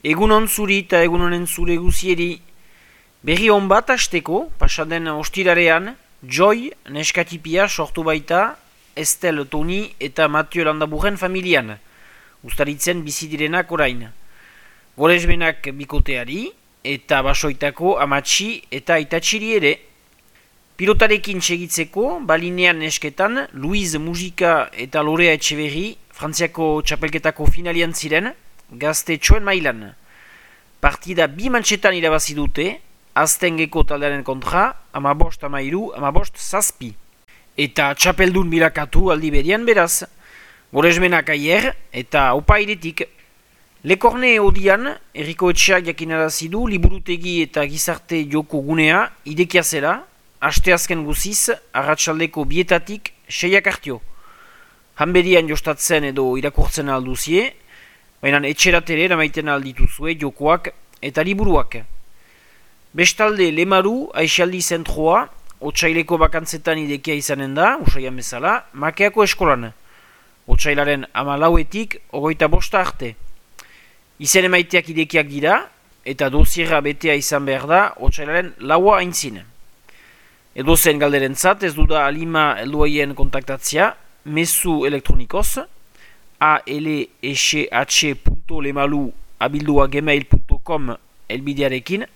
Egunon zuri eta egunonen zure guzieri. Berri hon bat hasteko, pasaden ostirarean, Joy neskatipia sortu baita Estel, Toni eta Mathieu Landaburren familian, ustaritzen bizi direnak orain. Goresbenak bikoteari eta basoitako amatxi eta aitatxiri ere. Pilotarekin segitzeko, balinean nesketan, Luiz Mujika eta Lorea Etxeberri Frantziako txapelketako finalian ziren, gazte txoen mailan. Partida bi mantxetan irabazi dute, Aztengeko taldearen kontra, 15-13, 15-7. Eta txapeldun bilakatu aldi berian beraz. Goresmenak aier eta opairetik. Lekorne odian, Erriko Etxeak jakinarazi du liburutegi eta gizarte joko gunea idekia zela, asteazken guziz, arratsaldeko bietatik 6 hartio. Hanberian jostatzen edo irakurtzen alduzie, baina etxeratere eramaiten aldituzue jokoak eta liburuak. Bestalde Lemaru, Aixaldi zentroa, otsaileko bakantzetan idekia izanen da, usaian bezala, Makeako eskolan. Otsailaren 14etik 25 arte. Izen emaiteak idekiak dira, eta dosierra betea izan behar da, otsailaren 4 aintzin. Edozen galderentzat ez duda alima helduaien kontaktatzea, mezu elektronikoz, alsh.lemalu@gmail.com elbidearekin,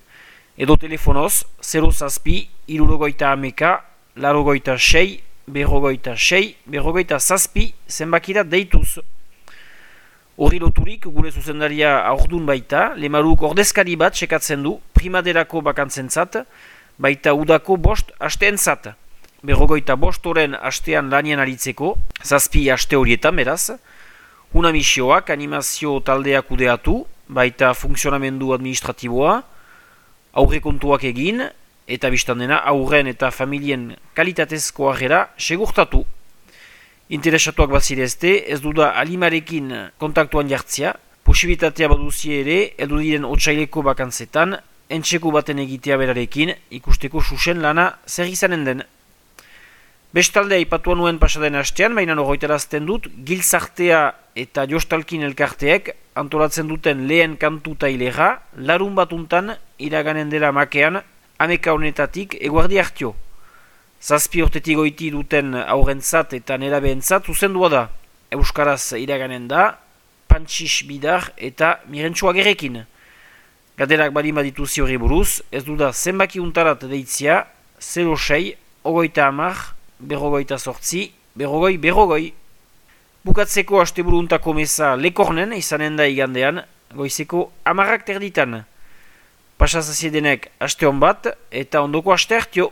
edo telefonoz 0 irurogoita ameka, larogoita 6, berrogoita 6, berrogoita 7 zenbakira deituz. Horri loturik gure zuzendaria aurdun baita, Lemaruk ordezkari bat sekatzen du primaderako bakantzentzat, baita udako 5 asteentzat. Berrogoita 5 oren astean lanian aritzeko, 7 aste horietan beraz, una misioak animazio taldeak kudeatu, baita funtzionamendu administratiboa, aurrekontuak egin, eta biztandena aurren eta familien kalitatezko harrera segurtatu. Interesatuak bazirezte, ez duda alimarekin kontaktuan jartzea, posibilitatea baduzie ere, heldu diren otsaileko bakantzetan, entxeko baten egitea berarekin, ikusteko susen lana zer izanen den. Bestalde aipatuan nuen pasaden hastean, baina horretarazten dut, Giltzartea eta Jostalkin elkarteek antolatzen duten lehen kantu tailera, larun batuntan iraganen dela Makean, ameka honetatik eguardi hartio. 7 urtetik goiti duten aurrentzat eta nerabeentzat zuzendua da. Euskaraz iraganen da, Pantxix Bidar eta Mirentsua Gerekin. Gaderak bali badituzi horri buruz, ez duda zenbaki untarat deitzia, 06, ogoita amar, berrogoita 8, berrogoi. Bukatzeko asteburuntako meza Lekornen izanen da igandean, goizeko 10 terditan. Pasazaziedenek aste hon bat eta ondoko aste hartio.